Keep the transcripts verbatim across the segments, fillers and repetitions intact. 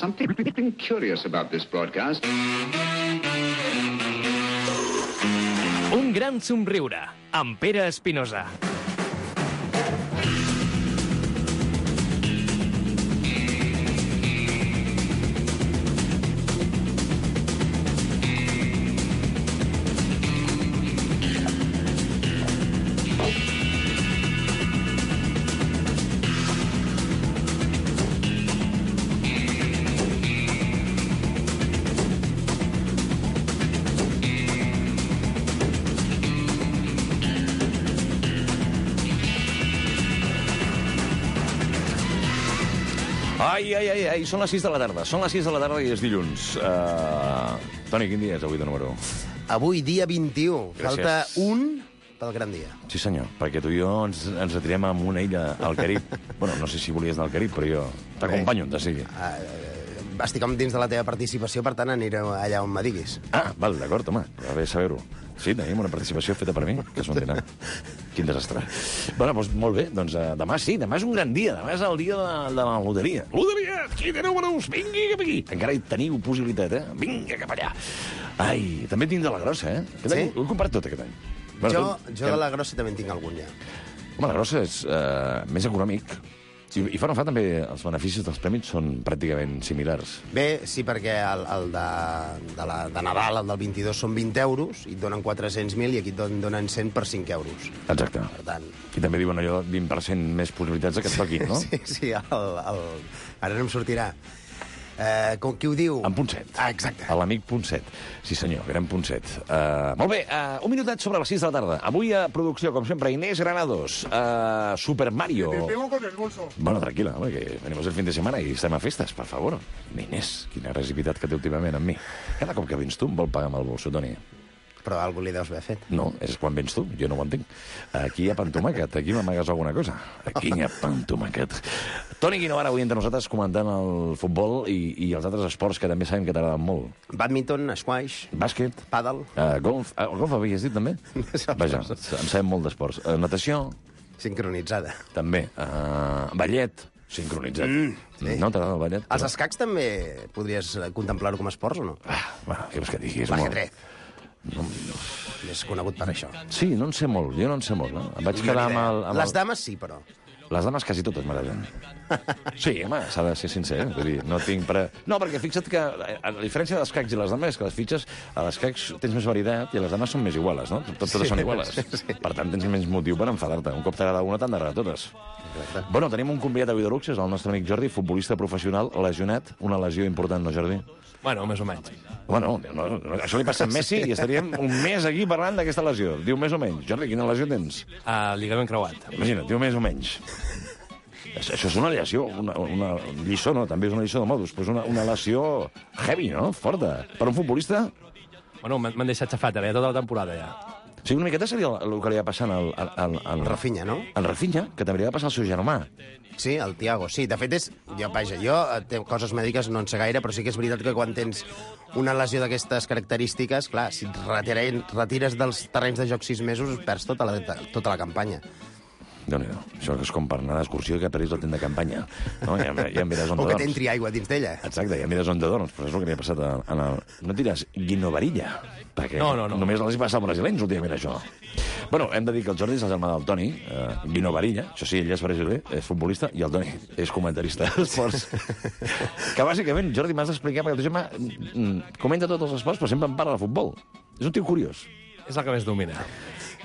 something curious about this broadcast. Un gran somriure, amb Pere Espinosa. Ai, ai, ai, ai, són les sis de la tarda. Són les sis de la tarda i és dilluns. Uh, Toni, quin dia és avui de número? Avui, dia vint-i-u. Gràcies. Falta un pel gran dia. Sí, senyor, perquè tu i jo ens, ens retirem a una illa al Carib. Bueno, no sé si volies anar al Carib, però jo t'acompanyo on te sigui. Uh, estic dins de la teva participació, per tant aniré allà on me diguis. Ah, val, d'acord, home, va bé saber-ho. Sí, tenim una participació feta per mi, que és un dinar. Quin desastre. Bueno, doncs molt bé, doncs uh, demà sí, demà és un gran dia, demà és el dia de, de la loteria. Loteria, qui té números, vingui cap aquí. Encara hi teniu possibilitat, eh? Vinga cap allà. Ai, també tinc de la grossa, eh? Aquest Sí? any ho he comprat tot aquest any. Jo, tot- jo de la grossa també en tinc algun, ja. Home, la grossa és uh, més econòmic. I, I fa no fa també els beneficis dels prèmits són pràcticament similars. Bé, sí, perquè el, el de, de, la, de Nadal, el del vint-i-dos, són vint euros, i et donen quatre-cents mil, i aquí et don- donen cent per cinc euros. Exacte. Per tant... I també diuen allò vint per cent més possibilitats de que et toqui, no? Sí, sí, el, el... ara no em sortirà. Eh, com qui ho diu? En Ponset. Ah, exacte. A l'amic Ponset. Sí, senyor, gran Ponset. Uh, molt bé, uh, un minutet sobre les sis de la tarda. Avui a producció, com sempre, Inés Granados. Uh, Super Mario. Te pego con el bolso. Bueno, tranquil·la, home, que venimos el fin de setmana i estem a festes, per favor. Inés, quina agressivitat que té últimament amb mi. Cada cop que vens tu em vol pagar amb el bolso, Toni. Però algú li deus haver fet. No, és quan vens tu, jo no ho entenc. Aquí hi ha pan tomàquet, aquí m'amagues alguna cosa. Aquí hi ha pan tomàquet. Toni Guinovara avui entre nosaltres comentant el futbol i, i els altres esports que també sabem que t'agraden molt. Badminton, squash, Bàsquet, pàdel... uh, golf... Uh, golf havies dit també? Vaja, en sabem molt d'esports. Uh, natació, sincronitzada. també. Uh, ballet, sincronitzat. Mm, sí. No t'agrada el ballet? Els escacs també podries contemplar-ho com a esports o no? Ah, bueno, què vols que digui? És molt... L'ajedrez. No, És conegut per això. sí, no en sé molt, jo no en sé molt. No? Em vaig quedar amb el... Amb Les el... dames sí, però. Les dames quasi totes m'agraden. Sí, home, s'ha de ser sincer. Eh? Vull dir, no tinc pre... No, perquè fixa't que a la diferència dels cacs i les dames és que les fitxes, a les cacs tens més varietat i a les dames són més iguales, no? Tot, totes Sí, són iguales. sí. Per tant, tens menys motiu per enfadar-te. Un cop t'agrada una, t'han d'agradar totes. Exacte. Bueno, tenim un convidat avui de luxe, és el nostre amic Jordi, futbolista professional, lesionat. Una lesió important, no, Jordi? Bueno, més o menys. Bueno, no, no, això li passa a Messi i estaríem un mes aquí parlant d'aquesta lesió. Diu més o menys. Jordi, quina lesió tens? Uh, Lligament creuat. Imagina't, diu més o menys. Això això és una lesió, una, una lliçó, no? També és una lliçó de modus, però és una, una lesió heavy, no? Forta. Per un futbolista... Bueno, m'han m'han deixat xafat, ara, ja tota la temporada, ja. O sigui, una miqueta seria el, el que li va passant al, al, al, al Rafinha, no? Al Rafinha, que també li va passar al seu germà. Sí, el Thiago, sí. De fet, és... Jo, vaja, jo eh, té coses mèdiques no en sé gaire, però sí que és veritat que quan tens una lesió d'aquestes característiques, clar, si et retires, retires dels terrenys de joc sis mesos, perds tota la, tota la campanya. Déu-n'hi-do. Això és com per anar d'excursió que perdis el temps de campanya. No? Ja, ja em diràs on O te que dorms. t'entri aigua dins d'ella. Exacte, ja em diràs on te dorms, però és el que li ha passat en el... No et diràs Guinovarilla, perquè No, no, no. només els hi passa als brasilenys últimament, això. Bueno, hem de dir que el Jordi és el germà del Toni, eh, Guinovarilla, això sí, ell és brasiler, és futbolista, i el Toni és comentarista d'esports. Que bàsicament, Jordi, m'has d'explicar, perquè el teu germà mm, comenta tots els esports, però sempre en parla de futbol. És un tio curiós. És el que més domina.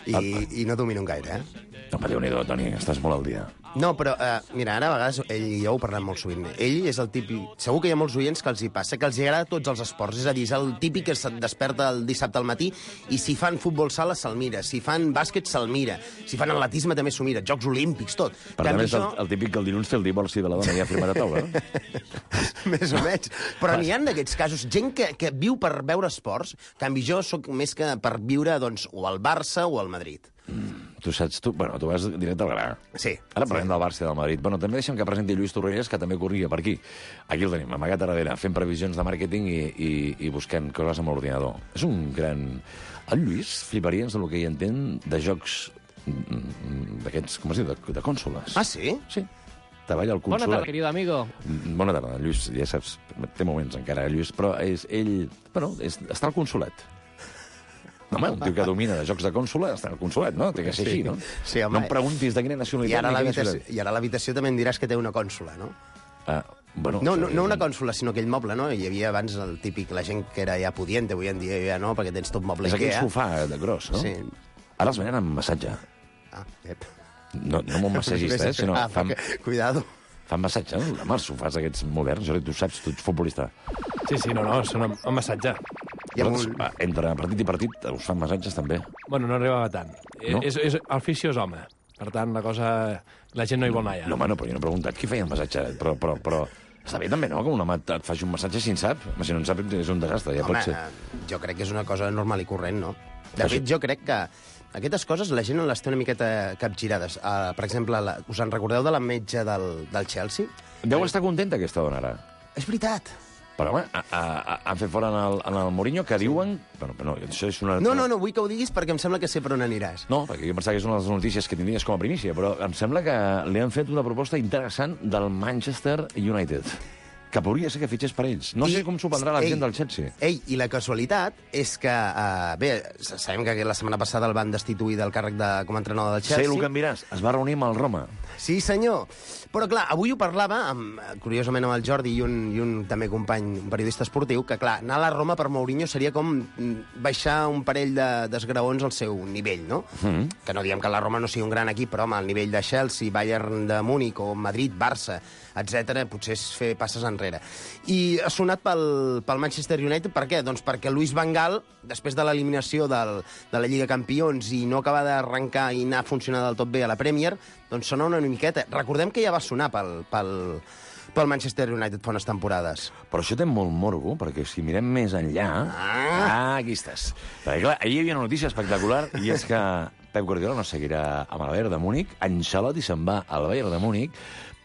I, i no domino gaire, eh? No, però Déu-n'hi-do, Toni, estàs molt al dia. No, però, eh, mira, ara a vegades ell i jo ho parlem molt sovint. Ell és el típic... Segur que hi ha molts oients que els hi passa, que els hi agrada tots els esports. És a dir, és el típic que se't desperta el dissabte al matí i si fan futbol sala se'l mira, si fan bàsquet se'l mira, si fan atletisme també s'ho mira, Jocs Olímpics, tot. Per tant, és el, el típic que el dilluns té el divorci de la dona ja firmat a taula, no? Més o menys. Però n'hi ha d'aquests casos, gent que, que viu per veure esports, en canvi jo sóc més que per viure, doncs, o al Barça o al Madrid. Mm, tu saps, tu, bueno, tu vas directe al gra. Sí. Ara parlem sí. del Barça i del Madrid. Bueno, també deixem que presenti Lluís Torrelles, que també corria per aquí. Aquí el tenim, amagat a darrere, fent previsions de màrqueting i, i, i buscant coses amb l'ordinador. És un gran... El Lluís fliparia del que hi entén de jocs d'aquests, com es diu, de, de cònsoles. Ah, sí? Sí. treballa al Bona consolat. tarda, querido amigo. Mm, Bona tarda, Lluís, ja saps, té moments encara, Lluís, però és, ell, bueno, és, està al consolat. No, home, un tio que domina de jocs de consola està al consolat, no? Té que ser Sí. així, no? Sí, home. No em preguntis de quina I nacionalitat ara a ni quina l'habitació ciutat. i ara a l'habitació també em diràs que té una cònsola, no? Ah, bueno, No, no, això no és una un- cònsola, sinó aquell moble, no? Hi havia abans el típic, la gent que era ja pudiente, avui en dia ja no, perquè tens tot moble És aquell Ikea. sofà de gros, no? Sí. Ara els venen amb massatge. Ah, ep. No, no amb un massagista, eh, sinó Ah, fan, perquè- Cuidado. fan massatge, no? Amb els sofàs aquests moderns, Jordi, tu saps, tu ets futbolista. Sí, sí, no, no, són un massatge. I amb Vosaltres, un... va, entre partit i partit us fan massatges també. Bueno, no arribava tant. No? És, és, el fisio és home. Per tant, la cosa... La gent no hi vol anar, ja. No, home, no, però jo no he preguntat qui feia el massatge, però, però, però està bé també, no?, que un home et et faci un massatge si en sap. Home, si no en sap és un desastre, ja Home, pot ser. eh, jo crec que és una cosa normal i corrent, no? De Però fet, sí. jo crec que aquestes coses la gent les té una miqueta capgirades. Uh, per exemple, la, us en recordeu de la metge del, del Chelsea? Deu estar contenta aquesta dona ara. És veritat. Però, home, a, a, a, han fet fora en el, en el Mourinho, que diuen... Bueno, però no, això és una... No, no, no, vull que ho diguis perquè em sembla que sé per on aniràs. No, perquè jo pensava que és una de les notícies que tindries com a primícia, però em sembla que li han fet una proposta interessant del Manchester United, que podria ser que fitxés per ells. No I- sé com s'ho prendrà la ei, gent del Chelsea. Ei, i la casualitat és que, uh, bé, sabem que la setmana passada el van destituir del càrrec de, com a entrenador del Sé Chelsea. el que em diràs. Es va reunir amb el Roma. Sí, senyor. Però, clar, avui ho parlava, amb, curiosament, amb el Jordi i un, i un també company, un periodista esportiu, que, clar, anar a la Roma per Mourinho seria com mm, baixar un parell de- d'esgraons al seu nivell, no? Mm. Que no diem que la Roma no sigui un gran equip, però, home, al nivell de Chelsea, Bayern de Múnich o Madrid, Barça, etcètera, potser és fer passes enrere. I ha sonat pel, pel Manchester United, per què? Doncs perquè Luis Van Gaal, després de l'eliminació del, de la Lliga Campions i no acabar d'arrencar i anar a funcionar del tot bé a la Premier, doncs sona una miqueta. Recordem que ja va sonar pel, pel, pel Manchester United fa unes temporades. Però això té molt morbo, perquè si mirem més enllà... Ah. ah aquí estàs. Perquè, clar, ahir hi havia una notícia espectacular, i és que Pep Guardiola no seguirà amb el Bayern de Múnich, Ancelotti se'n va al Bayern de Múnich,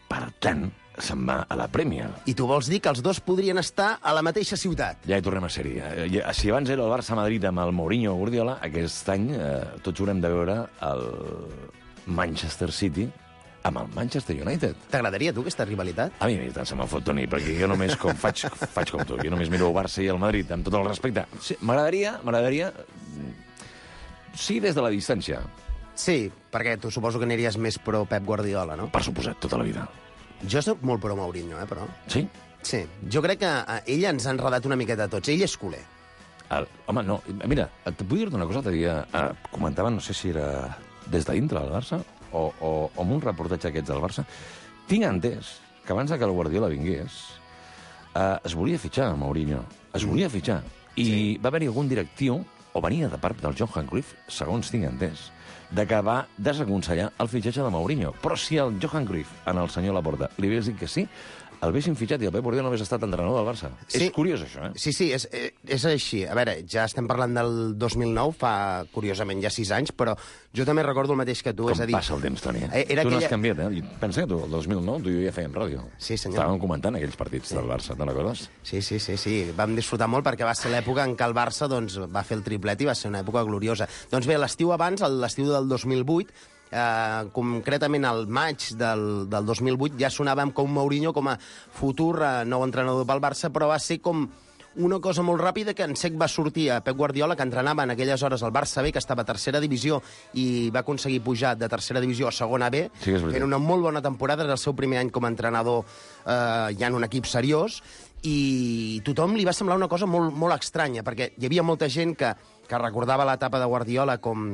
per tant, se'n va a la Premier. I tu vols dir que els dos podrien estar a la mateixa ciutat? Ja hi tornem a ser-hi. Eh, ja- Si abans era el Barça-Madrid amb el Mourinho Guardiola, aquest any eh, tots haurem de veure el Manchester City amb el Manchester United. T'agradaria, tu, aquesta rivalitat? A mi tant se me'n fot, Toni, perquè jo només com faig, faig com tu, jo només miro el Barça i el Madrid, amb tot el respecte. Sí, m'agradaria, m'agradaria... Sí, des de la distància, Sí, perquè tu suposo que aniries més pro Pep Guardiola, no? per suposat, tota la vida. Jo soc molt pro Mourinho, eh, però... Sí? Sí, jo crec que eh, ell ens ha enredat una miqueta a tots. Ell és culer. El, home, no, mira, et vull dir-te una cosa, l'altre dia eh, comentaven, no sé si era des de dintre del Barça o, o, o amb un reportatge aquests del Barça, tinc entès que abans de que el Guardiola vingués eh, es volia fitxar a Mourinho, es volia fitxar, i sí. va haver-hi algun directiu, o venia de part del Johan Cruyff, segons tinc entès, de que va desaconsellar el fitxatge de Mourinho. Però si el Johan Cruyff, en el senyor Laporta, li hagués dit que sí, el haguessin fitxat i el Pep Guardiola no hagués estat entrenador del Barça. Sí. És curiós, això, eh? Sí, sí, és, eh, és així. A veure, ja estem parlant del dos mil nou, fa, curiosament, ja sis anys, però jo també recordo el mateix que tu. Com és a dir, passa el temps, Toni. Eh, era tu no has aquella- canviat, eh? Pensa que tu, el dos mil nou, tu i jo ja fèiem ràdio. Sí, senyor. Estàvem comentant aquells partits del Barça, te'n recordes? Sí, sí, sí, sí. Vam disfrutar molt perquè va ser l'època en què el Barça doncs, va fer el triplet i va ser una època gloriosa. Doncs bé, l'estiu abans, l'estiu del dos mil vuit, eh, concretament al maig del, del dos mil vuit, ja sonàvem com Mourinho com a futur eh, nou entrenador pel Barça, però va ser com una cosa molt ràpida que en sec va sortir a Pep Guardiola, que entrenava en aquelles hores al Barça B, que estava a tercera divisió i va aconseguir pujar de tercera divisió a segona B. Sí que és veritat. Era una molt bona temporada, era el seu primer any com a entrenador eh, ja en un equip seriós, i tothom li va semblar una cosa molt, molt estranya, perquè hi havia molta gent que, que recordava l'etapa de Guardiola com,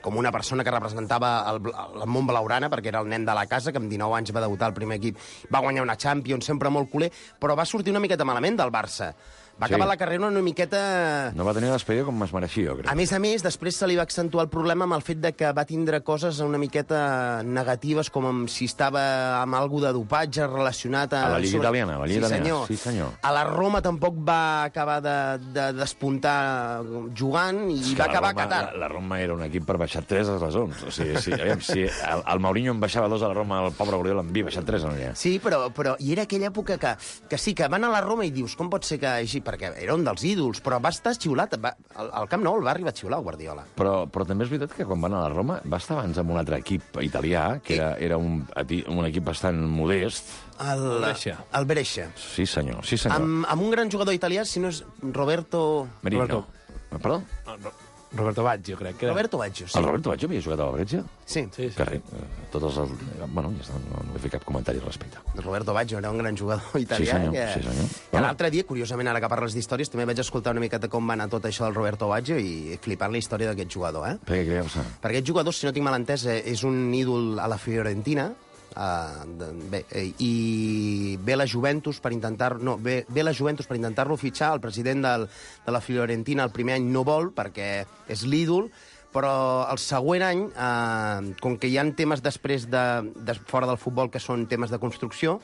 com una persona que representava el, el món blaugrana, perquè era el nen de la casa, que amb dinou anys va debutar al primer equip, va guanyar una Champions, sempre molt culer, però va sortir una miqueta malament del Barça. Va Sí. acabar la carrera una miqueta... No va tenir despedida com es mereixia, jo crec. A més a més, després se li va accentuar el problema amb el fet de que va tindre coses una miqueta negatives, com amb si estava amb algú de dopatge relacionat a... A la Lliga italiana, a la Lliga sí, italiana, senyor. sí, senyor. A la Roma tampoc va acabar de, de despuntar jugant i És que va la acabar Roma, a Qatar. La, la Roma era un equip per baixar tres a les onze. O sigui, sí, aviam, si el, el Mourinho en baixava dos a la Roma, el pobre Guardiola en havia baixat tres, no n'hi ha. Sí, però, però i era aquella època que, que sí, que van a la Roma i dius, com pot ser que hagi perquè era un dels ídols, però va estar xiulat. Va, al, al Camp Nou el va arribar a xiular, Guardiola. Però, però també és veritat que quan van a la Roma va estar abans amb un altre equip italià, que era, era un, un equip bastant modest. El Brescia. El Brescia. Sí, senyor, sí, senyor. Amb, amb un gran jugador italià, si no és Roberto... Merino. Roberto. Perdó? No, no. Roberto Baggio, crec que era. Roberto Baggio, sí. El Roberto Baggio havia jugat a la Brescia? Sí. Sí, sí. Que res, tots els... Bueno, ja està, no, no he fet cap comentari al respecte. Roberto Baggio era un gran jugador italià. Sí, senyor, que... sí, senyor. Que l'altre dia, curiosament, ara que parles d'històries, també vaig escoltar una miqueta com va anar tot això del Roberto Baggio i flipant la història d'aquest jugador, eh? Per què creus? Perquè aquest jugador, si no tinc mal entès, eh, és un ídol a la Fiorentina, uh, de, bé, eh, i ve la Juventus per intentar... No, ve, ve la Juventus per intentar-lo fitxar, el president del, de la Fiorentina el primer any no vol, perquè és l'ídol, però el següent any, eh, com que hi ha temes després de, de fora del futbol que són temes de construcció,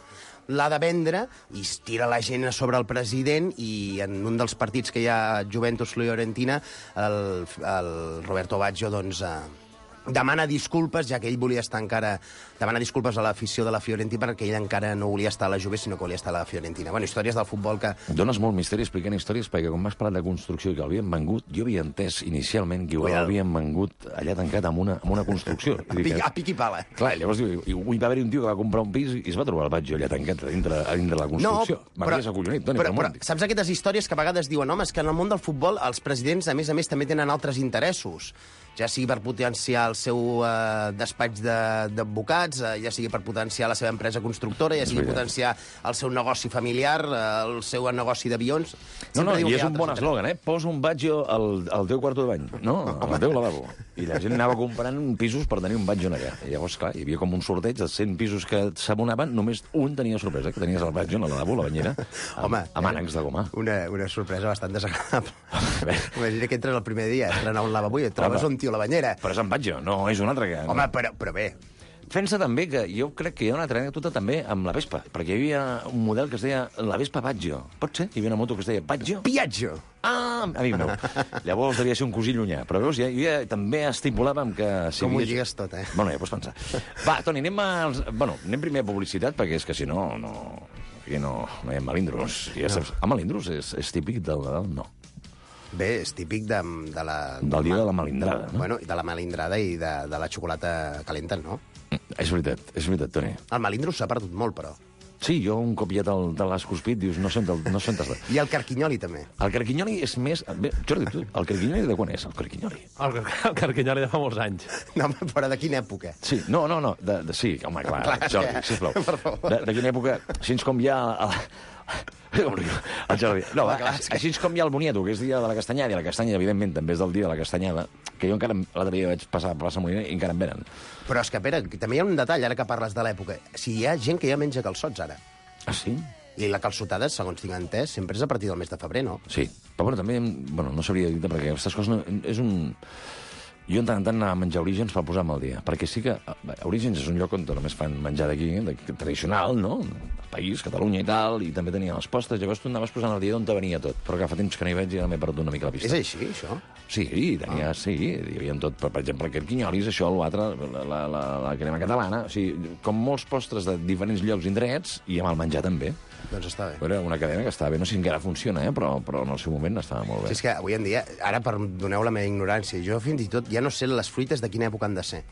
l'ha de vendre i es tira la gent a sobre el president i en un dels partits que hi ha Juventus-Fiorentina, el, el Roberto Baggio, doncs... Eh, demana disculpes, ja que ell volia estar encara... Demana disculpes a l'afició de la Fiorentina perquè ell encara no volia estar a la Juve, sinó que volia estar a la Fiorentina. Bueno, històries del futbol que... Dones molt misteri explicant històries, perquè quan m'has parlat de construcció i que l'havien vengut, jo havia entès inicialment que igual l'havien vengut allà tancat amb una, amb una construcció. A pic, a pic i pala. Clar, llavors diu, i va haver un tio que va comprar un pis i es va trobar el Baggio allà tancat a dintre, a dintre de la construcció. No, però, acollonit, Toni, però, però saps aquestes històries que a vegades diuen, home, és que en el món del futbol els presidents, a més a més, també tenen altres interessos, ja sigui per potenciar el seu eh, despatx d'advocats, eh, ja sigui per potenciar la seva empresa constructora, ja sigui potenciar el seu negoci familiar, eh, el seu negoci d'avions... No, no, i és un bon eslògan, eh? Posa un Baggio al, al teu quarto de bany, no? Al teu lavabo. I la gent anava comprant pisos per tenir un Baggio allà. I llavors, clar, hi havia com un sorteig de cent pisos que s'abonaven, només un tenia sorpresa, que tenies el Baggio al lavabo, la banyera, amb, Home, amb ànecs de goma. Una, una sorpresa bastant desagradable. Imagina que entres el primer dia, estrenar un lavabo i et trobes un tio a la banyera. Però és en Baggio, no és un altre que... Home, però, però bé... Fent-se també que jo crec que hi ha una altra anècdota també amb la Vespa, perquè hi havia un model que es deia la Vespa Baggio. Pot ser? Hi havia una moto que es deia Baggio? Piaggio! Ah, amic meu. Llavors devia ser un cosí llunyà. Però veus, ja, ja també estipulàvem que... Si Com havia... ho lligues tot, eh? Bueno, ja pots pensar. Va, Toni, anem, als... bueno, anem primer a publicitat, perquè és que si no, no, aquí no, no hi ha melindros. Ja saps, a melindros és, és típic del Nadal? No. Bé, és típic de, de la... Del dia de la melindrada, de, no? Bueno, de la melindrada i de, de la xocolata calenta, no? És veritat, és veritat, Toni. El melindro s'ha perdut molt, però. Sí, jo un cop ja te l'has cuspit, dius, no sé on no sé on I el carquinyoli, també. El carquinyoli és més... Bé, Jordi, tu, el carquinyoli de quan és, el carquinyoli? El, el carquinyoli de fa molts anys. No, però de quina època? Sí, no, no, no, de, de, sí, home, clar, clar Jordi, que... sisplau. Per favor. De, de quina època, així com hi ha... El, el Jordi. No, va, clar, que... així com hi ha el Boniato, que és dia de la castanyada, i la castanya, evidentment, també és del dia de la castanyada, que jo encara l'altre dia vaig passar per la Molina i encara em venen. Però és que, Pere, també hi ha un detall, ara que parles de l'època. Si hi ha gent que ja menja calçots, ara. Ah, sí? I la calçotada, segons tinc entès, sempre és a partir del mes de febrer, no? Sí, però bueno, també, bueno, no sabria dir-te, perquè aquestes coses no, és un... Jo en tant en tant anava a menjar Orígens per posar-me al dia, perquè sí que Orígens és un lloc on només fan menjar d'aquí, tradicional, no? El país, Catalunya i tal, i també tenien les postres, llavors tu anaves posant al dia d'on te venia tot. Però que fa temps que no hi veig i ara m'he perdut una mica la pista. És així, això? Sí, tenia, ah. sí, hi havia tot, per, per exemple, aquest quinyolis, això, l'altre, la, la, la, la crema catalana, o sigui, com molts postres de diferents llocs i indrets, i amb el menjar també. Doncs està bé. Era una cadena que estava bé, no sé si encara funciona, eh? però, però en el seu moment estava molt bé. Sí, és que avui en dia, ara perdoneu la meva ignorància, jo fins i tot ja no sé les fruites de quina època han de ser.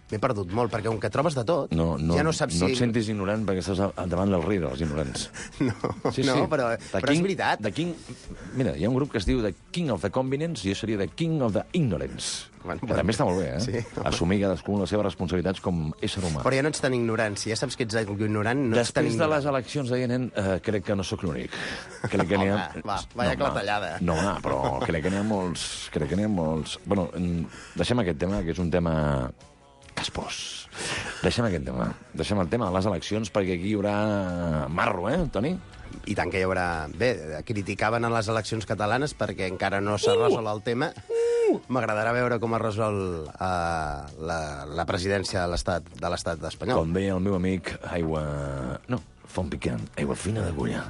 M'he perdut molt, perquè com que trobes de tot, no, no, ja no saps si... No et sentis ignorant perquè estàs davant del rei dels ignorants. No, sí, no sí. però, The però King, és veritat. The King... Mira, hi ha un grup que es diu The King of the Convenience i jo seria The King of the Ignorance. Bueno, que bueno. també està molt bé, eh? Sí, assumir cadascú les seves responsabilitats com ésser humà. Però ja no ets tan ignorant. Si ja saps que ets ignorant, no ets tan Després de ignorant. les eleccions deia, nen, eh, crec que no sóc l'únic. Crec que n'hi ha... Home, va, vaya no, clatellada. No, no, però crec que n'hi ha molts... Crec que n'hi ha molts... Bueno, deixem aquest tema, que és un tema caspós. Deixem aquest tema. Deixem el tema de les eleccions, perquè aquí hi haurà marro, eh, Toni? I tant que hi haurà... Bé, criticaven a les eleccions catalanes perquè encara no s'ha uh! resolt el tema. M'agradarà veure com es resol uh, la, la presidència de l'estat de l'estat espanyol. Com deia el meu amic, aigua... No, font picant, aigua fina d'agulla.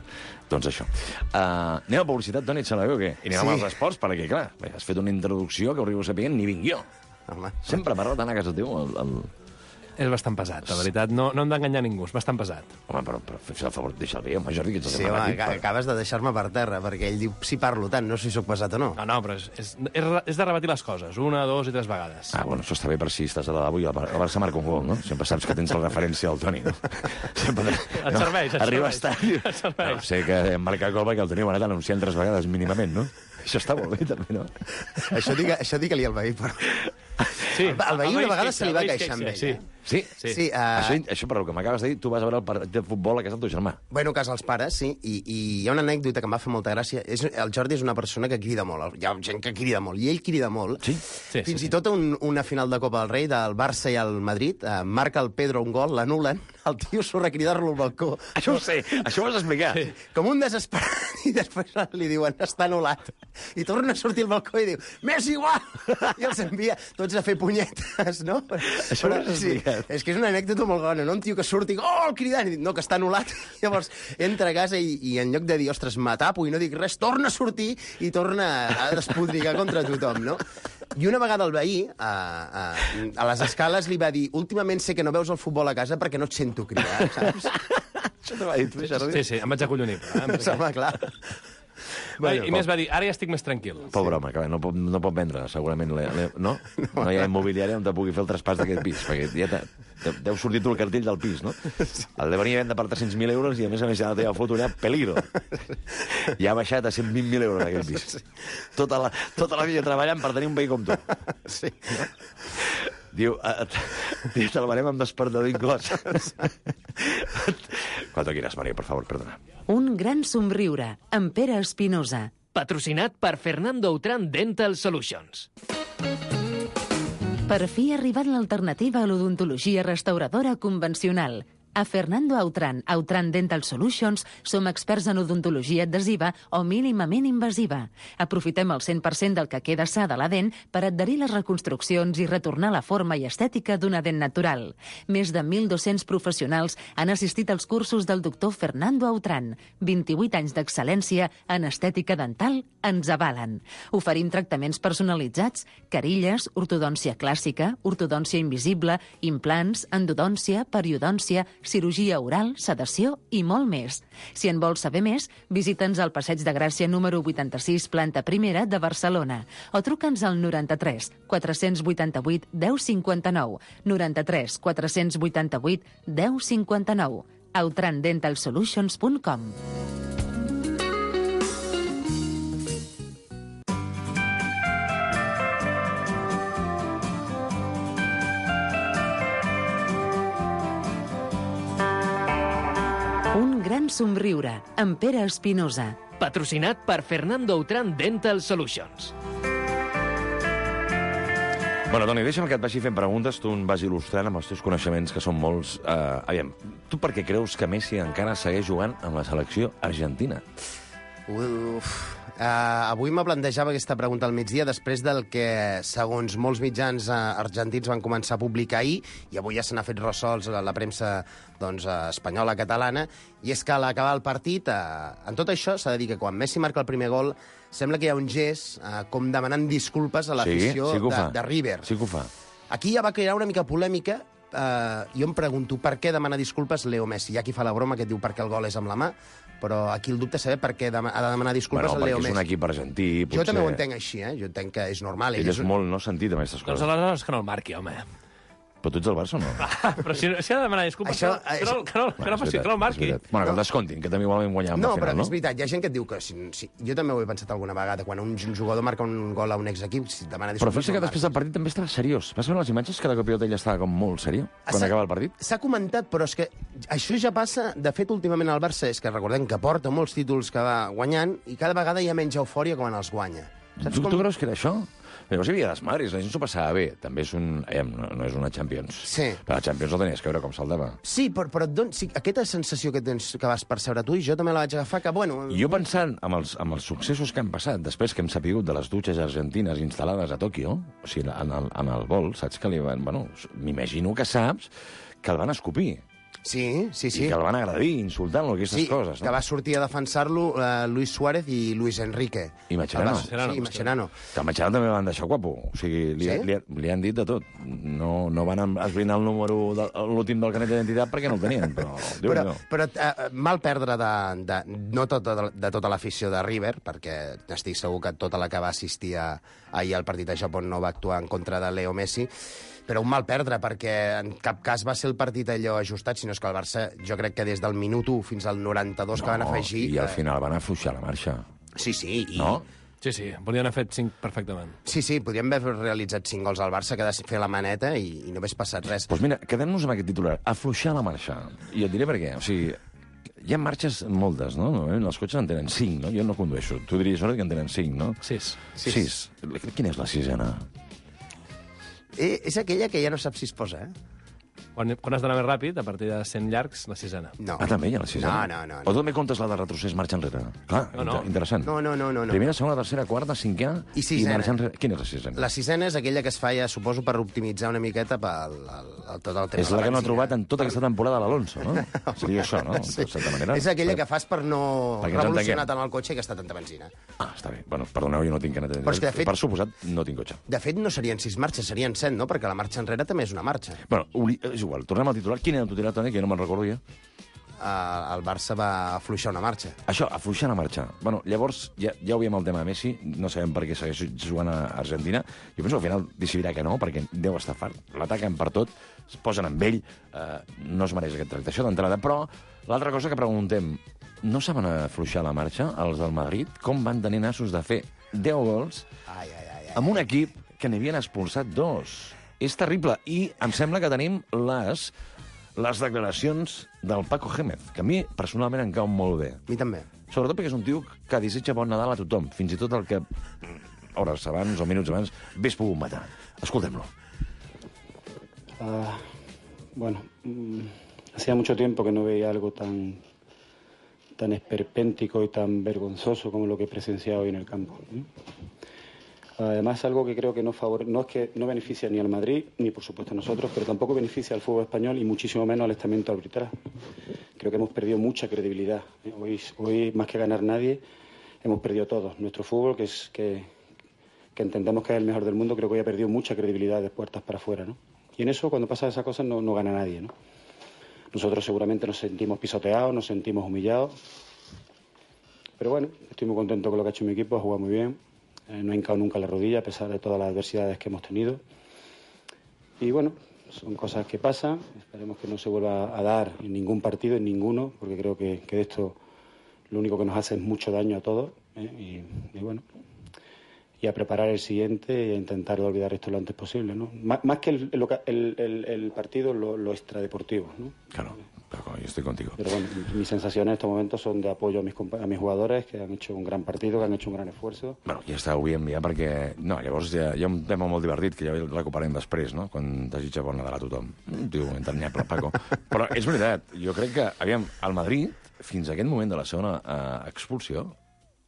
Doncs això. Uh, anem a publicitat, Toni, et sembla bé o què? I anem sí. amb els esports, perquè, clar, has fet una introducció que hauríeu sapient, ni vinc jo. Home. Sempre m'agrada anar a casa teu el, el, És bastant pesat, la veritat. No, no hem d'enganyar ningú, és bastant pesat. Home, però, però fes el favor, deixa'l bé, home, Jordi, que ets el Sí, que m'ha home, dit, ac- però- acabes de deixar-me per terra, perquè ell diu, si parlo tant, no sé si sóc pesat o no. No, no, però és, és, és, és de repetir les coses, una, dos i tres vegades. Ah, bueno, això està bé per si estàs a la lavabo i el Bar- el Barça marca un gol, no? Sempre saps que tens la referència al Toni, no? Sempre... Et serveix, et Arriba serveix. a estar... Et serveix. No, sé que hem marcat gol perquè el Toni ho ha anat anunciant tres vegades mínimament, no? Això està molt bé, també, no? Això digue, això digue-li al veí, però... Sí, El veí una el vegada fixa, se li va el veí queixar amb fixa, ell, sí. Sí? Sí. Sí, uh... Això, això, per el que m'acabes de dir, tu vas a veure el partit de futbol a casa del teu germà. Bueno, a casa els pares, sí, i, i hi ha una anècdota que em va fer molta gràcia. És, el Jordi és una persona que crida molt, hi ha gent que crida molt, i ell crida molt. Sí? Sí, Fins sí, i tot un, una final de Copa del Rei del Barça i el Madrid, eh, marca el Pedro un gol, l'anulen, el tio surt a cridar-lo al balcó. Això ho sé, això ho has explicat. Sí. Com un desesperat, i després li diuen, està anul·lat. I torna a sortir al balcó i diu, m'és igual! I els envia tots a fer punyetes, no? Això ho has explicat. És que és una anècdota molt bona, no? Un tio que surti, oh, cridant, i diu, no, que està anul·lat. Llavors entra a casa i, i en lloc de dir, ostres, m'atapo i no dic res, torna a sortir i torna a despodrigar contra tothom, no? I una vegada el veí, a, a, a les escales, li va dir, últimament sé que no veus el futbol a casa perquè no et sento cridar, saps? Això t'ho va dir tu, Jordi? Sí, sí, em vaig acollonir. Però, eh? Perquè... Home, clar. Bueno, I més va dir, ara ja estic més tranquil. Pobre home, que no pot, no pot vendre, segurament. Le, le, no? No hi ha immobiliària on te pugui fer el traspàs d'aquest pis, perquè ja te, te, deu sortir tu el cartell del pis, no? El de venir a vendre per tres-cents mil euros i, a més a més, ja la teva foto allà, peligro. Ja ha baixat a cent vint mil euros aquell pis. Tota la, tota la vida treballant per tenir un veí com tu. Sí. Diu, diu te'l venem amb despertador inclòs. Cuando quieras, María, por favor, perdona. Un gran somriure, amb Pere Espinosa. Patrocinat per Fernando Outram Dental Solutions. Per fi ha arribat l'alternativa a l'odontologia restauradora convencional. A Fernando Outram, Outram Dental Solutions, som experts en odontologia adhesiva o mínimament invasiva. Aprofitem el cent per cent del que queda sa de la dent per adherir les reconstruccions i retornar la forma i estètica d'una dent natural. Més de mil dos-cents professionals han assistit als cursos del doctor Fernando Outram. vint-i-vuit anys d'excel·lència en estètica dental ens avalen. Oferim tractaments personalitzats, carilles, ortodòncia clàssica, ortodòncia invisible, implants, endodòncia, periodòncia, cirurgia oral, sedació i molt més. Si en vols saber més, visita'ns al Passeig de Gràcia número vuitanta-sis, planta primera de Barcelona, o truca'ns al noranta-tres quatre-cents vuitanta-vuit deu cinquanta-nou, noranta-tres quatre-cents vuitanta-vuit deu cinquanta-nou, outram dental solutions punt com. Un gran somriure, amb Pere Espinosa. Patrocinat per Fernando Outram Dental Solutions. Bueno, Toni, deixa'm que et vagi fent preguntes, tu em vas il·lustrant amb els teus coneixements, que són molts. Uh, aviam, tu per què creus que Messi encara segueix jugant amb la selecció argentina? Uf. Uh, avui me plantejava aquesta pregunta al migdia després del que, segons molts mitjans uh, argentins van començar a publicar ahir, i avui ja se n'ha fet ressols a la premsa doncs, uh, espanyola, catalana, i és que a l'acabar el partit, uh, en tot això s'ha de dir que quan Messi marca el primer gol, sembla que hi ha un gest uh, com demanant disculpes a l'afició sí, sí de, de River. Sí que ho fa. Aquí ja va crear una mica polèmica. Uh, jo em pregunto per què demana disculpes Leo Messi. Hi ha qui fa la broma que et diu perquè el gol és amb la mà, però aquí el dubte és saber per què ha de demanar disculpes bueno, al Leo Messi. Perquè és un equip argentí, potser... Jo també ho entenc així, eh? Jo entenc que és normal. Ell és molt no sentit amb aquestes Doncs coses. aleshores que no el marqui, home. Però tu ets el Barça o no? Ah, però si, si ha de demanar disculpes, Això- que, no, que, no, que, no, que no faci, que no el marqui. Bueno, que el descontin, que també igualment guanyàvem No, la però final, no? és veritat, hi ha gent que et diu que... Si, si, jo també ho he pensat alguna vegada, quan un jugador marca un gol a un exequip, si demana Però disculpes... fes que no el després del partit també estava seriós. Vas veure les imatges que la copiota ella estava com molt seriós quan S'ha- acaba el partit? S'ha comentat, però és que això ja passa... De fet, últimament al Barça és que recordem que porta molts títols que va guanyant i cada vegada hi ha menys eufòria quan els guanya. Tu, tu creus que era això? Llavors hi havia desmadres, la gent s'ho passava bé. També és un... Eh, no, no és una Champions. Sí. Però la Champions no tenies que veure com saltava. Sí, però, però et don... sí, aquesta sensació que tens que vas percebre tu i jo també la vaig agafar, que, bueno... Jo pensant amb els, amb els successos que han passat, després que hem sapigut de les dutxes argentines instal·lades a Tòquio, o sigui, en el, en el vol, saps que li van... Bueno, m'imagino que saps que el van escopir. Sí, sí, sí. I que el van agredir, insultant-lo, aquestes Sí, coses. que No? va sortir a defensar-lo uh, Luis Suárez i Luis Enrique. I Mascherano. El va- Mascherano, Sí, Mascherano. Que a Mascherano també van deixar guapo. O sigui, li, Sí? li, li han dit de tot. No, no van esbrinar el número, de, l'últim del carnet d'identitat perquè no el tenien, però... Déu Però, no. però uh, mal perdre de, de, no tot, de, de tota l'afició de River, perquè estic segur que tota la que va assistir a, ahir al partit a Japó no va actuar en contra de Leo Messi, però un mal perdre, perquè en cap cas va ser el partit allò ajustat, sinó que el Barça, jo crec que des del minut u fins al noranta-dos que van afegir... I al eh, final van afluixar la marxa. Sí, sí, i... No? Sí, sí, podien haver fet cinc perfectament. Sí, sí, podríem haver realitzat cinc gols al Barça, quedar fer la maneta i, i no hagués passat res. Doncs pues mira, quedem-nos amb aquest titular. Afluixar la marxa. I et diré per què. O sigui, hi ha marxes moltes, no? Normalment els cotxes en tenen cinc, no? Jo no condueixo. Tu diries ara que en tenen cinc, no? Sis. Sis. Sis. Quina és la sisena? Eh, és aquella que ja no saps si es posa, eh? Quan, quan has d'anar més ràpid, a partir de cent llargs, la sisena. No. Ah, també hi ha la sisena? No, no, no, O també comptes la de retrocés marxa enrere? Clar, No, no. inter interessant. No, no, no, no, no. Primera, segona, tercera, quarta, cinquena I sisena. i marxa enrere. Quina és la sisena? La sisena és aquella que es fa, ja, suposo, per optimitzar una miqueta pel el, el, tot el tema És de la que no ha benzina. trobat en tota aquesta temporada l'Alonso, no? Seria això, no? Sí. De certa manera. És aquella que fas per no Perquè ens revolucionar entenguem. tant el cotxe i gastar tanta benzina. Ah, està bé. Bueno, perdoneu, jo no tinc carnet Però és que, de fet- Per suposat, no tinc cotxe. De fet, no serien sis marxes, serien set, no? Perquè la marxa enrere també és una marxa. Bueno, obli- és igual. Tornem al titular. Quin era el titular, Toni, que jo no me'n recordo ja? Uh, el Barça va afluixar una marxa. Això, afluixar la marxa. Bueno, llavors, ja, ja ho veiem el tema de Messi, no sabem per què segueix jugant a Argentina. Jo penso que al final decidirà que no, perquè deu estar fart. L'ataquen per tot, es posen amb ell, eh, no es mereix aquest tracte, això d'entrada. Però l'altra cosa que preguntem, no saben afluixar la marxa, els del Madrid? Com van tenir nassos de fer deu gols Ai, ai, ai, ai. amb un equip que n'havien expulsat dos? És terrible. I em sembla que tenim les... les declaracions del Paco Gémez, que a mi personalment em cauen molt bé. A mi també. Sobretot perquè és un tio que desitja bon Nadal a tothom, fins i tot el que hores abans o minuts abans hagués pogut matar. Escoltem-lo. Ah, bueno, mm, hacía mucho tiempo que no veía algo tan, tan esperpéntico y tan vergonzoso como lo que he presenciado hoy en el campo, ¿no? Además, algo que creo que no favore... no es que no beneficia ni al Madrid, ni por supuesto a nosotros, pero tampoco beneficia al fútbol español y muchísimo menos al estamento arbitral. Creo que hemos perdido mucha credibilidad. Hoy, hoy más que ganar nadie, hemos perdido todos. Nuestro fútbol, que es que, que entendemos que es el mejor del mundo, creo que hoy ha perdido mucha credibilidad de puertas para afuera, ¿no? Y en eso, cuando pasan esas cosas, no, no gana nadie, ¿no? Nosotros seguramente nos sentimos pisoteados, nos sentimos humillados. Pero bueno, estoy muy contento con lo que ha hecho mi equipo, ha jugado muy bien. Eh, no ha hincado nunca la rodilla a pesar de todas las adversidades que hemos tenido. Y bueno, son cosas que pasan. Esperemos que no se vuelva a dar en ningún partido, en ninguno, porque creo que, que esto lo único que nos hace es mucho daño a todos. ¿eh? Y, y bueno, y a preparar el siguiente y a intentar olvidar esto lo antes posible, ¿no? Más, más que el, el, el, el partido, lo, lo extradeportivo, ¿no? Claro, Paco, yo estoy contigo. Pero bueno, mis sensaciones en estos momentos son de apoyo a mis, a mis jugadores, que han hecho un gran partido, que han hecho un gran esfuerzo. Bueno, ja està, ho havíem ja perquè... No, llavors hi ha, hi ha un tema molt divertit que ja el recuperem després, no?, quan desitja bon Nadal a tothom. Un tio entranyable, Paco. Però és veritat, jo crec que, aviam, al Madrid, fins a aquest moment de la segona eh, expulsió,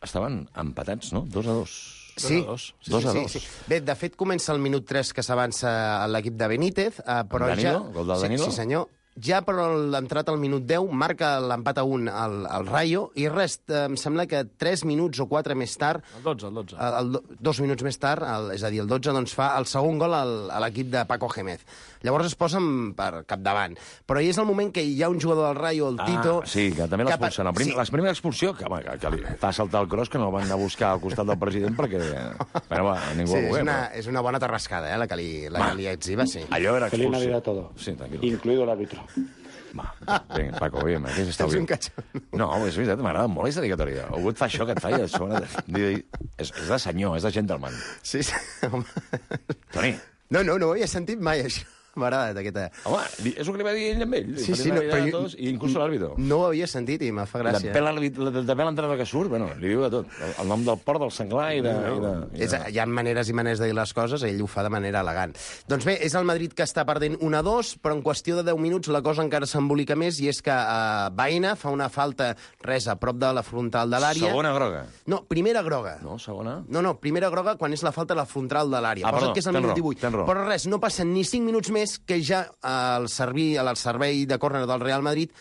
estaven empatats, no?, dos a dos. Sí, dos. sí, Dos a sí, dos. sí, sí. Bé, de fet, comença el minut tres que s'avança a l'equip de Benítez, eh, però Danilo? ja... Gol del Danilo? Sí, sí, senyor. Ja, però l'entrat al minut deu marca l'empat a un al, al Rayo i res, eh, em sembla que tres minuts o quatre més tard, El dotze, el dotze. el, el, dos minuts més tard, el, és a dir, el dotze, doncs fa el segon gol al, a l'equip de Paco Gémez. Llavors es posen per capdavant. Però hi és el moment que hi ha un jugador del Rayo, el Tito... Ah, sí, que també l'expulsen. pa- Sí. La primera expulsió, que, home, que, que li fa saltar el cross, que no el van anar a buscar al costat del president perquè... Però, va, ningú Sí, ho és veu. una, és una bona terrascada, eh, la que li, la que li exhiba, sí. Allò era Feliz expulsió. Navidad a todos, Sí, tranquil. incluido el árbitro. Va, vinga, Paco, vinga, aquest està Ets bé. un catxon. No, és veritat, m'agrada molt aquesta dedicatòria. Algú et fa això que et fa i a sobre... És, és de senyor, és de gentleman. Sí, sí, home. Toni, No, no, no ho havia sentit mai, això. M'ha agradat, aquesta... home, li- és el que li va dir ell amb ell. Sí, Feliz sí, no, Navidad però a jo- tots, i inclús l'àrbitro. No ho havia sentit i me fa gràcia. De pèl l'entrada que surt, bueno, li diu de tot. El, el nom del port, del senglar i de... I de, i de... És, hi ha maneres i maneres de dir les coses, ell ho fa de manera elegant. Doncs bé, és el Madrid que està perdent un a dos, però en qüestió de deu minuts la cosa encara s'embolica més, i és que uh, Baena fa una falta, res, a prop de la frontal de l'àrea. Segona groga. No, primera groga. No, segona? No, no, primera groga quan és la falta a la frontal de l'àrea. Ah, Posa't perdó, que és el tens minut raó, divuit. tens raó. Però res, no passen ni cinc minuts més és que ja al servei, al servei de córner del Real Madrid,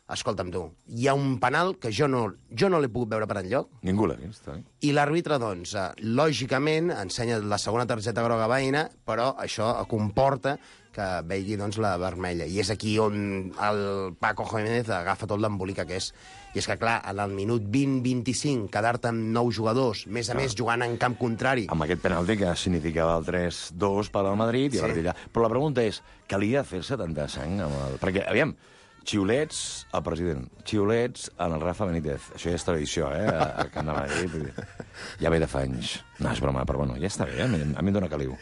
escolta'm tu, hi ha un penal que jo no, jo no l'he pogut veure per enlloc, Ningú l'ha vist, eh? i l'àrbitre, doncs, eh, lògicament, ensenya la segona targeta groga veïna, però això comporta que vegi, doncs, la vermella. I és aquí on el Paco Jiménez agafa tot l'embolica que és. I és que, clar, en el minut vint vint-i-cinc, quedar-te amb nou jugadors, més a clar. més jugant en camp contrari. Amb aquest penalti que significava el tres dos per al Madrid, i Sí. a partir d'allà. Però la pregunta és, calia fer-se tanta sang amb el... Perquè, aviam, xiulets al president, xiulets en el Rafa Benítez. Això ja és tradició, eh? A Camp de Madrid. Vull dir, ja ve de fa anys. No, és broma, però bueno, ja està bé, eh? A mi, a mi em dóna caliu.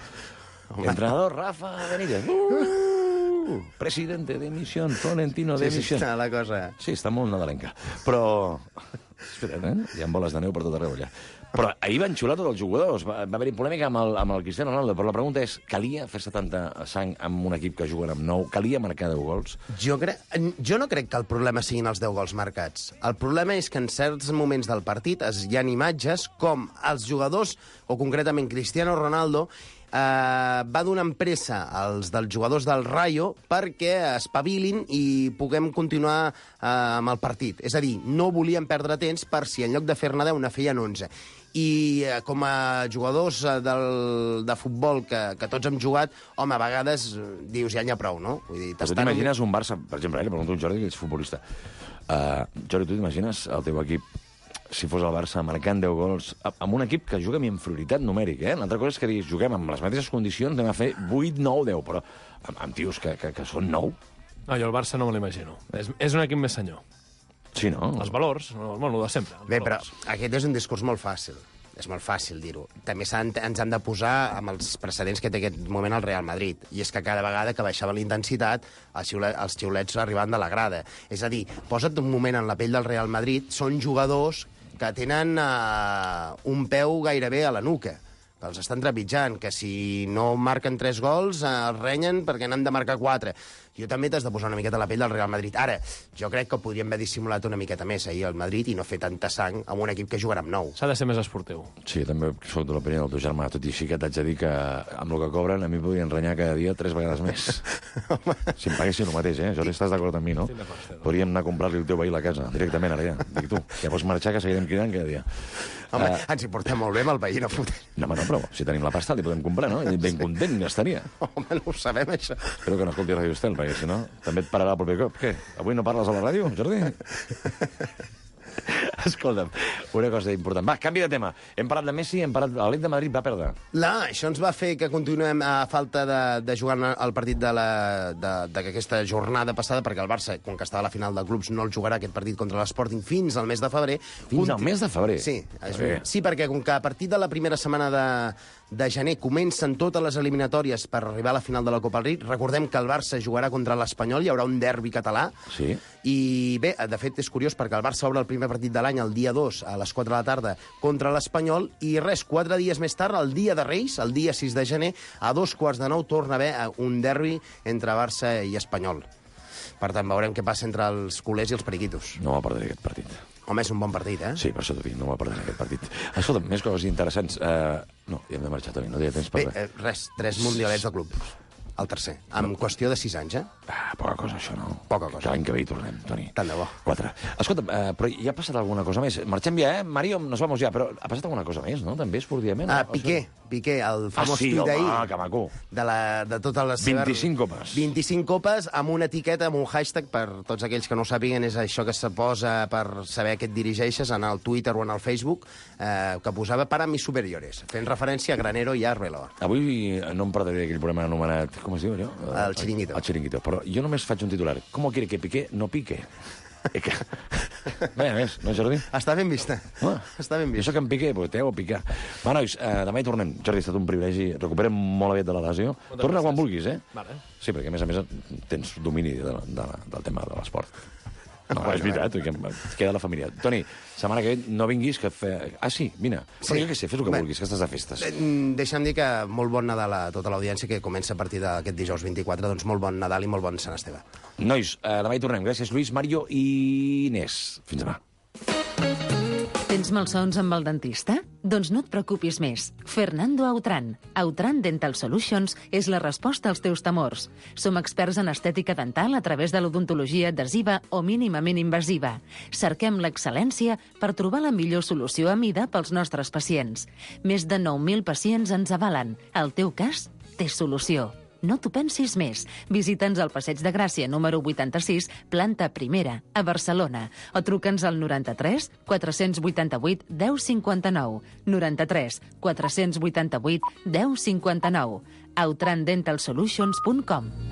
Entrenador Rafa Benítez. Uh! Presidente de misión, Florentino de Sí, sí, misión. està la cosa... Sí, està molt nadalenca. Però... Espera't, eh? Hi ha boles de neu per tot arreu, allà. Però ahir van xular tots els jugadors. Va, va haver-hi polèmica amb el, amb el Cristiano Ronaldo, però la pregunta és, calia fer-se tanta sang amb un equip que juguen amb nou? Calia marcar deu gols? Jo, crec, jo no crec que el problema siguin els deu gols marcats. El problema és que en certs moments del partit es, hi ha imatges com els jugadors, o concretament Cristiano Ronaldo, eh, va donant pressa als dels jugadors del Rayo perquè espavilin i puguem continuar eh, amb el partit. És a dir, no volien perdre temps per si en lloc de fer-ne deu ne feien onze. I eh, com a jugadors eh, del, de futbol que, que tots hem jugat, home, a vegades eh, dius, ja n'hi ha prou, no? Vull dir, Però tu t'imagines un Barça, per exemple, eh, li pregunto a un Jordi, que és futbolista. Uh, Jordi, tu t'imagines el teu equip, si fos el Barça, marcant deu gols, amb un equip que juga amb inferioritat numèrica, eh? L'altra cosa és que diguis, juguem amb les mateixes condicions, anem a fer vuit, nou, deu, però amb, amb tios que, que, que són nou. No, jo el Barça no me l'imagino. És, és un equip més senyor. Sí, no? Els valors, no, bueno, de sempre. els Bé, però valors. aquest és un discurs molt fàcil. És molt fàcil dir-ho. També s'han, ens han de posar amb els precedents que té aquest moment el Real Madrid. I és que cada vegada que baixava la intensitat, els, xiulets, els xiulets arribaven de la grada. És a dir, posa't un moment en la pell del Real Madrid, són jugadors que tenen uh, un peu gairebé a la nuca, que els estan trepitjant, que si no marquen tres gols uh, els renyen perquè n'han de marcar quatre. Jo també t'has de posar una miqueta a la pell del Real Madrid. Ara, jo crec que podríem haver dissimulat una miqueta més ahir al Madrid i no fer tanta sang amb un equip que jugarà amb nou. S'ha de ser més esportiu. Sí, també soc de l'opinió del teu germà, tot i així que t'haig de dir que amb el que cobren a mi podrien renyar cada dia tres vegades més. Si em paguessin el mateix, eh? Jordi, estàs d'acord amb mi, no? Estic d'acord, estic d'acord. Podríem anar a comprar-li el teu veí a la casa, directament, ara ja. Dic tu, ja pots marxar, que seguirem cridant cada dia. Home, Uh, uh, ens hi portem molt bé amb el veí, no fotem. no, home, no, però si tenim la pasta li podem comprar, no? I ben content estaria. Home, no ho sabem, això. Espero que no escolti Ràdio Estel, perquè si no també et pararà el proper cop. Què? Avui no parles a la ràdio, Jordi? Escolta'm, una cosa important. Va, canvi de tema. Hem parlat de Messi, hem parlat... L'Atlètic de Madrid va perdre. La, això ens va fer que continuem a falta de, de jugar el partit de la- de- d'aquesta jornada passada, perquè el Barça, com que estava a la final de clubs, no el jugarà aquest partit contra l'Sporting fins al mes de febrer. Fins Conti- al mes de febrer? Sí, és, Bé. sí, perquè com que a partir de la primera setmana de, de gener comencen totes les eliminatòries per arribar a la final de la Copa del Rei, recordem que el Barça jugarà contra l'Espanyol, hi haurà un derbi català. Sí. I bé, de fet, és curiós perquè el Barça obre el primer partit de l'any el dia dos a les quatre de la tarda contra l'Espanyol i res, quatre dies més tard, el dia de Reis, el dia sis de gener, a dos quarts de nou torna a haver un derbi entre Barça i Espanyol. Per tant, veurem què passa entre els culers i els periquitos. No va perdre aquest partit. Home, és un bon partit, eh? Sí, per això t'ho dic, no va perdre aquest partit. Escolta, més coses interessants. Uh, no, ja hem de marxar, Toni, no hi ha temps per Bé, res. eh, res, tres mundialets de club. El tercer, en qüestió de sis anys, eh? Ah, poca cosa, això, no? Poca cosa. Que l'any que ve hi tornem, Toni. Tant de bo. Quatre. Escolta, uh, però hi ha passat alguna cosa més? Marxem ja, eh? Mario, nos vamos ja, però ha passat alguna cosa més, no? També esportivament? Ah, O Piqué, Piqué, el famós Ah, sí, tuit home, d'ahir. que maco. De, la, de totes les seves... vint-i-cinc copes. vint-i-cinc copes amb una etiqueta, amb un hashtag, per tots aquells que no ho sàpiguen, és això que se posa per saber a què et dirigeixes en el Twitter o en el Facebook, eh, que posava para mis superiores, fent referència a Granero i a Arbeloa. Avui no em perdré aquell programa anomenat... Com es diu, allò? El Chiringuito. El Chiringuito. Però jo només faig un titular. ¿Cómo quiere que Piqué no pique? Eh, que... Vaja més, no, Jordi? Està ben vista. Ah, Està ben jo vista. sóc en Piqué, pues t'heu a picar. Va, nois, eh, demà hi tornem. Jordi, ha estat un privilegi. Recuperem molt aviat de la lesió. Torna quan vulguis, eh? Vale. Sí, perquè a més a més tens domini de, de, del tema de l'esport. No, és veritat, que em queda la família. Toni, setmana que ve no vinguis, que fe... Ah, sí, vine. Però jo què sé, fes el que Bé. vulguis, que estàs de festes. Eh, Deixa'm dir que molt bon Nadal a tota l'audiència que comença a partir d'aquest dijous vint-i-quatre, doncs molt bon Nadal i molt bon Sant Esteve. Nois, eh, demà hi tornem. Gràcies, Lluís, Mario i Inés. Fins demà. Tens malsons amb el dentista? Doncs no et preocupis més. Fernando Autran. Autran Dental Solutions és la resposta als teus temors. Som experts en estètica dental a través de l'odontologia adhesiva o mínimament invasiva. Cerquem l'excel·lència per trobar la millor solució a mida pels nostres pacients. Més de nou mil pacients ens avalen. El teu cas té solució. No t'ho pensis més. Visita'ns al Passeig de Gràcia, número vuitanta-sis, planta primera, a Barcelona. O truca'ns al noranta-tres quatre-cents vuitanta-vuit deu cinquanta-nou. noranta-tres quatre-cents vuitanta-vuit deu cinquanta-nou. autran dental solutions punt com.